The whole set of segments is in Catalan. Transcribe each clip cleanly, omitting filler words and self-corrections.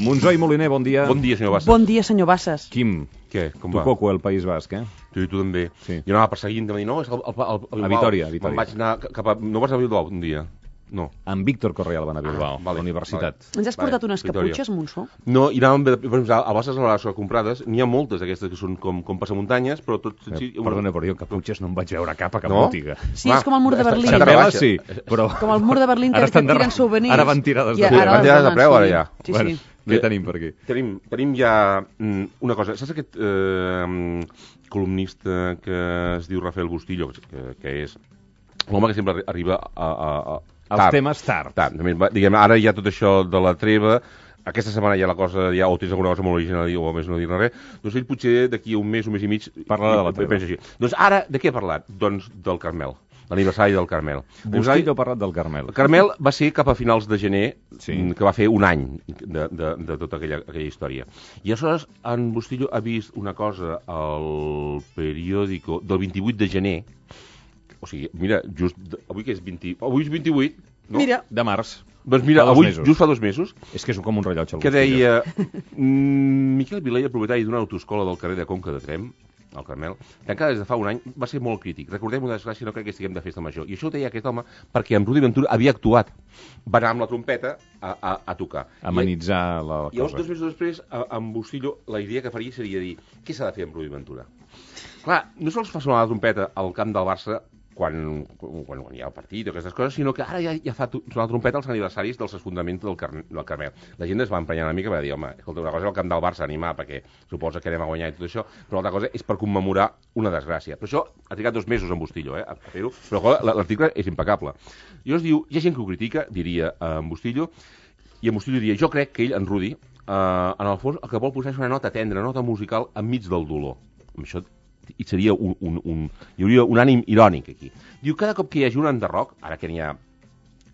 Monzó i Moliner, bon dia. Bon dia, senyor Bassas. Bon dia, senyor Bassas. Quim, Què? Com tu va? coco el País Basc, eh? Tu també. Sí. Jo anava perseguint, de dir, no, és el Bilbao. A Vitòria. Me'n vaig anar cap a... No vas a Bilbao un dia? No. En Víctor Correal van a Bilbao, a la universitat. Ens has portat unes Vitòria. caputxes, Monzó? No, i anàvem, per exemple, a Bassas a les comprades, n'hi ha moltes d'aquestes que són com passamuntanyes, però tot... Perdona, però jo caputxes no en vaig veure cap a cap No? botiga. Sí, és com el mur de Berlín. Està Xapela rebaixa. sí, però... Com el mur de Berlín que tiren souvenirs. Ara van tirades I de preu. Van tirades de preu, ara ja. Sí, Bueno, sí. què tenim per aquí? Tenim ja una cosa. Saps aquest columnista que es diu Rafael Bustillo, que és l'home que sempre arriba a Els temes tard. Diguem, ara hi ha tot això de la treva, aquesta setmana hi ha la cosa, o tens alguna cosa molt original a dir, o més no dir-ne res, doncs ell potser d'aquí un mes i mig... Parlarà de la treva. Així. Doncs ara, de què ha parlat? Doncs del Carmel, l'aniversari del Carmel. Bustillo ha parlat del Carmel. El Carmel va ser cap a finals de gener, Sí. que va fer un any de tota aquella història. I aleshores en Bustillo ha vist una cosa al periòdico del 28 de gener, o sigui, mira, just avui que és 20... Avui és 28, no? Mira, De març. Doncs mira, Fa 2 avui, mesos. just fa 2 mesos, És que és com un rellotge. el que Bustillo. deia Miquel Vilella, propietari d'una autoescola del carrer de Conca de Trem, al Carmel, tancada des de fa un any, va ser molt crític. Recordem una desgràcia, no crec que estiguem de festa major. I això ho deia aquest home perquè en Rudi Ventura havia actuat. Va anar amb la trompeta a tocar. Amenitzar la Llavors, cosa. 2 mesos després, amb Bustillo, la idea que faria seria dir què s'ha de fer amb Rudi Ventura? Clar, no sols fa sonar la trompeta al camp del Barça quan hi ha el partit o aquestes coses, sinó que ara ja fa sonar la trompeta als aniversaris dels esfondraments del Carmel. La gent es va emprenyar una mica i va dir, home, escolta, una cosa és el camp del Barça animar perquè suposa que anem a guanyar i tot això, però l'altra cosa és per commemorar una desgràcia. Però això ha trigat 2 mesos en Bustillo, a fer-ho, però l'article és impecable. I llavors diu, hi ha gent que ho critica, diria en Bustillo, i en Bustillo diria, jo crec que ell, en Rudi, en el fons el que vol posar és una nota tendra, una nota musical enmig del dolor. Amb això hi seria hi hauria un ànim irònic aquí. Diu, cada cop que hi hagi un enderroc, ara que n'hi ha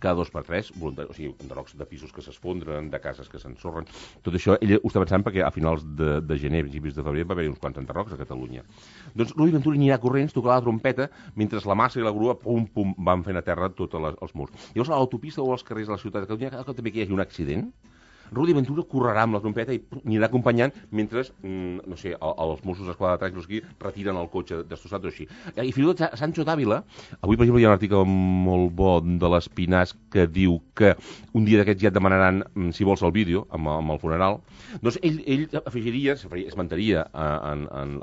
cada 2 per 3, o sigui, enderrocs de pisos que s'esfondren, de cases que s'ensorren, tot això ell ho està pensant perquè a finals de gener, principis de febrer, va haver-hi uns quants enderrocs a Catalunya. Doncs Rudi Ventura anirà corrents, tocarà la trompeta, mentre la massa i la grua, pum, pum, van fent a terra tots els murs. Llavors a l'autopista o als carrers de la ciutat de Catalunya, cada cop també que hi hagi un accident, Rudi Ventura correrà amb la trompeta i anirà acompanyant mentre, no sé, els Mossos d'Esquadra de Trànsit aquí retiren el cotxe destrossat o així. I fins i tot a Sancho d'Àvila, avui per exemple hi ha un article molt bo de l'Espinàs que diu que un dia d'aquests ja et demanaran, si vols, el vídeo amb el funeral, doncs ell afegiria, esmentaria a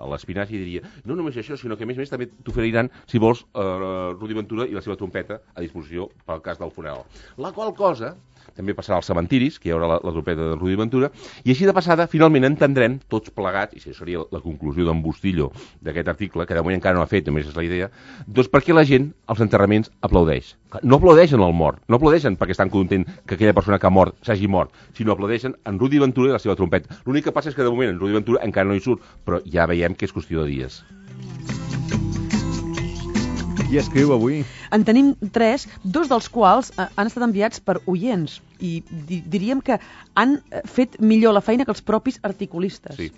l'Espinàs i diria, no només això, sinó que a més també t'oferiran, si vols, Rudi Ventura i la seva trompeta a disposició pel cas del funeral. La qual cosa també passarà als cementiris, que hi haurà la trompeta de Rudi Ventura, i així de passada, finalment entendrem, tots plegats, i això seria la conclusió d'en Bustillo d'aquest article, que de moment encara no ha fet, només és la idea, doncs per què la gent als enterraments aplaudeix. No aplaudeixen al mort, no aplaudeixen perquè estan contents que aquella persona que ha mort s'hagi mort, sinó aplaudeixen en Rudi Ventura i la seva trompeta. L'únic que passa és que de moment en Rudi Ventura encara no hi surt, però ja veiem que és qüestió de dies. Qui escriu avui? en tenim 3, 2 dels quals han estat enviats per oients i diríem que han fet millor la feina que els propis articulistes. Sí.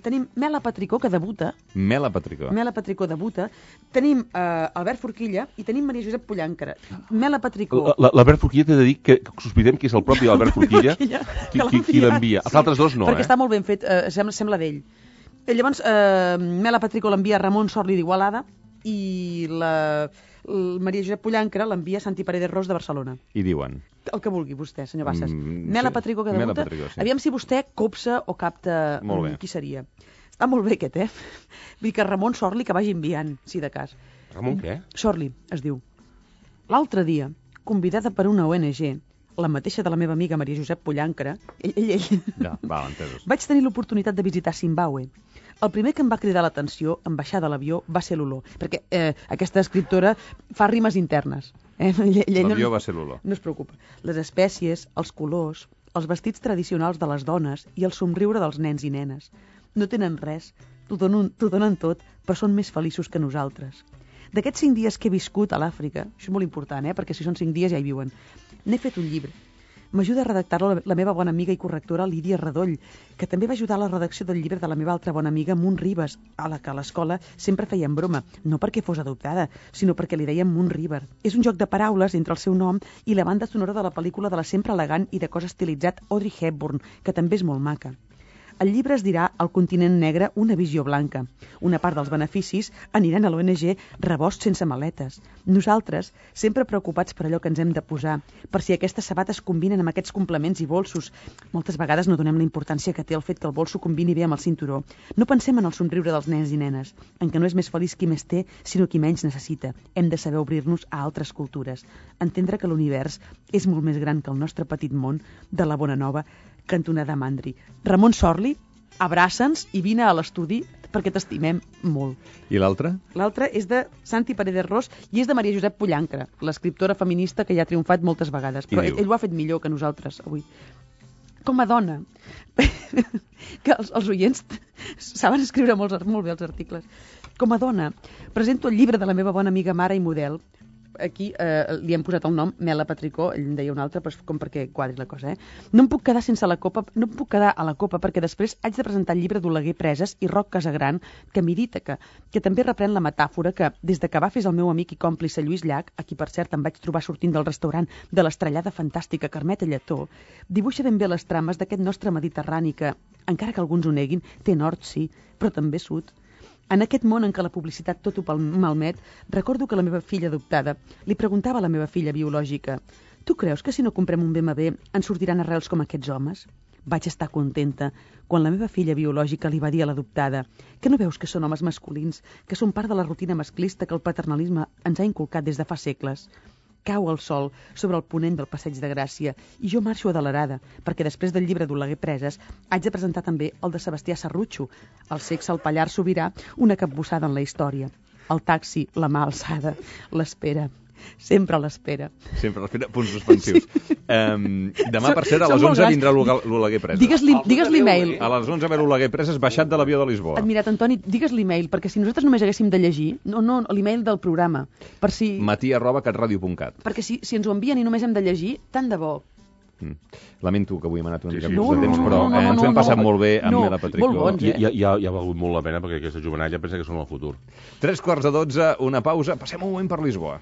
Tenim Mela Patricó, que debuta. Mela Patricó. Mela Patricó debuta. Tenim Albert Forquilla i tenim Maria Josep Pollancara. Mela Patricó... L'Albert Forquilla t'he de dir que sospitem que és el propi Albert Forquilla qui l'envia. Els altres dos no, perquè està molt ben fet, sembla d'ell. Llavors, Mela Patricó l'envia Ramon Sorli d'Igualada i la Maria Josep Pollancara l'envia Santi Paredes Ros de Barcelona. I diuen? El que vulgui vostè, senyor Bassas. Mela Patricó, que debuta. Sí. Aviam si vostè copsa o capta qui seria. Està molt bé aquest, Vull dir que Ramon Sorli que vagi enviant, si de cas. Ramon què? Sorli, es diu. L'altre dia, convidada per una ONG, la mateixa de la meva amiga Maria Josep Pollancara, ell. Ja, val, entesos. Vaig tenir l'oportunitat de visitar Zimbàbue. El primer que em va cridar l'atenció en baixar de l'avió va ser l'olor, perquè aquesta escriptora fa rimes internes. L'avió va ser l'olor. No es preocupa. Les espècies, els colors, els vestits tradicionals de les dones i el somriure dels nens i nenes. No tenen res, t'ho donen tot, però són més feliços que nosaltres. D'aquests 5 dies que he viscut a l'Àfrica, això és molt important, perquè si són 5 dies ja hi viuen, n'he fet un llibre. M'ajuda a redactar-la la meva bona amiga i correctora Lídia Redoll, que també va ajudar a la redacció del llibre de la meva altra bona amiga Munt Ribes, a la que a l'escola sempre feien broma, no perquè fos adoptada, sinó perquè li deien Munt River. És un joc de paraules entre el seu nom i la banda sonora de la pel·lícula de la sempre elegant i de cos estilitzat Audrey Hepburn, que també és molt maca. El llibre es dirà El continent negre, una visió blanca. Una part dels beneficis aniran a l'ONG Rebost sense maletes. Nosaltres, sempre preocupats per allò que ens hem de posar, per si aquestes sabates combinen amb aquests complements i bolsos. Moltes vegades no donem la importància que té el fet que el bolso combini bé amb el cinturó. No pensem en el somriure dels nens i nenes, en què no és més feliç qui més té, sinó qui menys necessita. Hem de saber obrir-nos a altres cultures. Entendre que l'univers és molt més gran que el nostre petit món de la Bona Nova, cantonada Mandri. Ramon Sorli, abraça'ns i vine a l'estudi perquè t'estimem molt. I l'altre? L'altre és de Santi Paredes Ros i és de Maria Josep Pollancra, l'escriptora feminista que ja ha triomfat moltes vegades. Però ell ho ha fet millor que nosaltres avui. Com a dona, que els oients saben escriure molt bé els articles. Com a dona, presento el llibre de la meva bona amiga mare i model. Aquí li hem posat el nom Mela Patricó, ell en deia un altre, però com perquè quadri la cosa, No em puc quedar sense la copa, no em puc quedar a la copa perquè després haig de presentar el llibre d'Oleguer Preses i Roc Casagran, que m'Ítaca, que també reprèn la metàfora que, des de que va fer el meu amic i còmplice Lluís Llach, a qui per cert em vaig trobar sortint del restaurant de l'estrellada fantàstica Carmeta Lletó, dibuixa ben bé les trames d'aquest nostre Mediterrani que, encara que alguns ho neguin, té nord, sí, però també sud. En aquest món en què la publicitat tot ho malmet, recordo que la meva filla adoptada li preguntava a la meva filla biològica: «Tu creus que si no comprem un BMW ens sortiran arrels com aquests homes?» Vaig estar contenta quan la meva filla biològica li va dir a l'adoptada: «Que no veus que són homes masculins, que són part de la rutina masclista que el paternalisme ens ha inculcat des de fa segles?» Cau el sol sobre el ponent del Passeig de Gràcia i jo marxo adelerada, perquè després del llibre d'Oleguer Preses haig de presentar també el de Sebastià Serrutxo, El sexe al Pallars Sobirà, una capbussada en la història. El taxi, la mà alçada, l'espera. Sempre a l'espera. Sempre a l'espera, punts suspensius. Sí. Demà, per cert, a les 11 vindrà l'Oleguer Preses. Digues l'email. A les 11 ve l'Oleguer Preses baixat de l'avió de Lisboa. Admirat, Antoni, digues l'email, perquè si nosaltres només haguéssim de llegir, no l'email del programa, per si... matí@catradio.cat. Perquè si ens ho envien i només hem de llegir, tant de bo. Lamento que avui hem anat una mica sí. de temps, però ens ho hem passat molt bé amb Mela Patricó. Molt bons, Ja ha valgut molt la pena, perquè aquesta jovenalla pensa que són el futur. 3:45, una pausa, passem un moment per Lisboa.